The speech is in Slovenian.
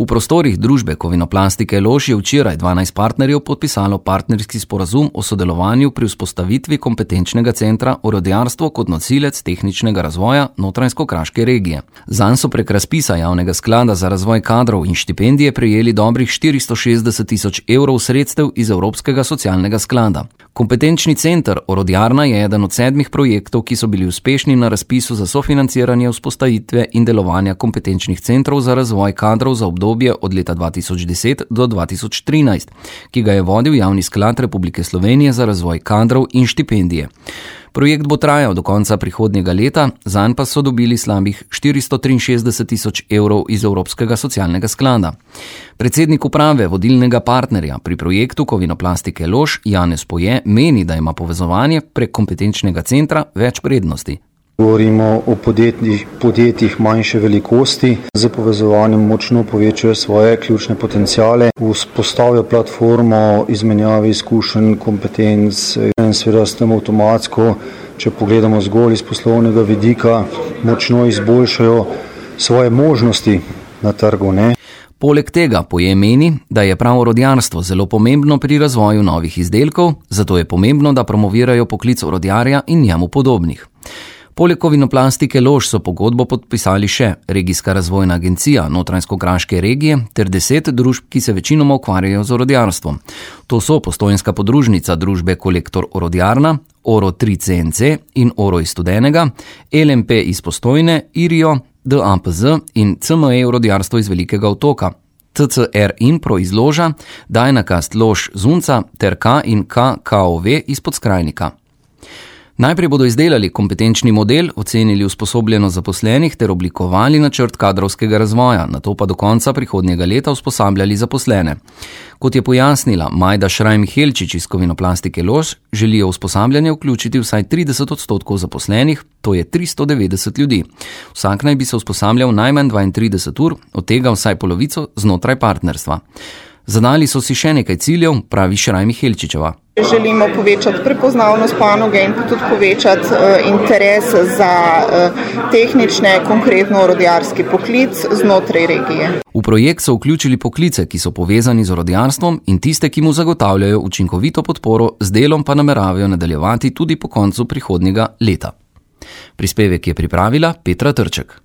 V prostorih družbe Kovinoplastike Lož je včeraj 12 partnerjev podpisalo partnerski sporazum o sodelovanju pri vzpostavitvi kompetenčnega centra Orodjarstvo kot nosilec tehničnega razvoja Notranjsko-Kraške regije. Zanj so prek razpisa Javnega sklada za razvoj kadrov in štipendije prejeli dobrih 460 000 evrov sredstev iz Evropskega socialnega sklada. Kompetenčni center Orodjarna je eden od 7 projektov, ki so bili uspešni na razpisu za sofinanciranje vzpostavitve in delovanja kompetenčnih centrov za razvoj kadrov za obdobje od leta 2010 do 2013, ki ga je vodil Javni sklad Republike Slovenije za razvoj kadrov in štipendije. Projekt bo trajal do konca prihodnjega leta, zanj pa so dobili slabih 463 000 evrov iz Evropskega socialnega sklada. Predsednik uprave vodilnega partnerja pri projektu Kovinoplastike Lož, Janez Poje, meni, da ima povezovanje prek kompetenčnega centra več prednosti. Govorimo o podjetjih manjše velikosti, z povezovanjem močno povečajo svoje ključne potencijale, vzpostavijo platformo izmenjave izkušenj, kompetenc in seveda s tem avtomatsko, če pogledamo zgolj iz poslovnega vidika, močno izboljšajo svoje možnosti na trgu, ne? Poleg tega Poje meni, da je prav orodjarstvo zelo pomembno pri razvoju novih izdelkov, zato je pomembno, da promovirajo poklic orodjarja in njemu podobnih. Poleg Kovinoplastike Lož so pogodbo podpisali še Regijska razvojna agencija Notranjsko-Kraške regije ter 10 družb, ki se večinoma ukvarjajo z orodjarstvom. To so Postojnska podružnica družbe Kolektor Orodjarna, Oro 3 CNC in Oro iz Studenega, LMP iz Postojne, Irio, DAPZ in CME Orodjarstvo iz Velikega Otoka, TCR Impro iz Loža, Dynacast Lož Zunca ter K in KKOV iz Podskrajnika. Najprej bodo izdelali kompetenčni model, ocenili usposobljenost zaposlenih ter oblikovali načrt kadrovskega razvoja, nato pa do konca prihodnjega leta usposabljali zaposlene. Kot je pojasnila Majda Šraj-Mihelčič iz Kovinoplastike Lož, želijo usposabljanje vključiti vsaj 30% zaposlenih, to je 390 ljudi. Vsak naj bi se usposabljal najmanj 32 ur, od tega vsaj polovico znotraj partnerstva. Zadali so si še nekaj ciljev, pravi Šraj-Mihelčičeva. Želimo povečati prepoznavnost panoge in tudi povečati interes za tehnične, konkretno orodjarski poklic znotraj regije. V projekt so vključili poklice, ki so povezani z orodjarstvom in tiste, ki mu zagotavljajo učinkovito podporo, z delom pa nameravajo nadaljevati tudi po koncu prihodnjega leta. Prispevek je pripravila Petra Trček.